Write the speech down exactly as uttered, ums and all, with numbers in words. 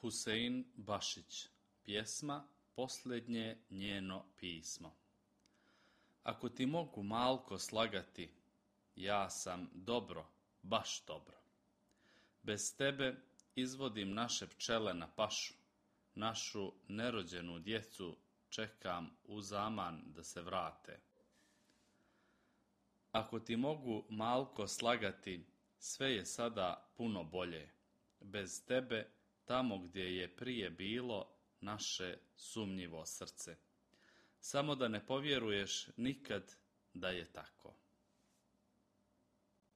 Husein Bašić, pjesma Posljednje njeno pismo. Ako ti mogu malko slagati, ja sam dobro, baš dobro. Bez tebe izvodim naše pčele na pašu, našu nerođenu djecu čekam u zaman da se vrate. Ako ti mogu malko slagati, sve je sada puno bolje. Bez tebe, tamo gdje je prije bilo naše sumnjivo srce. Samo da ne povjeruješ nikad da je tako.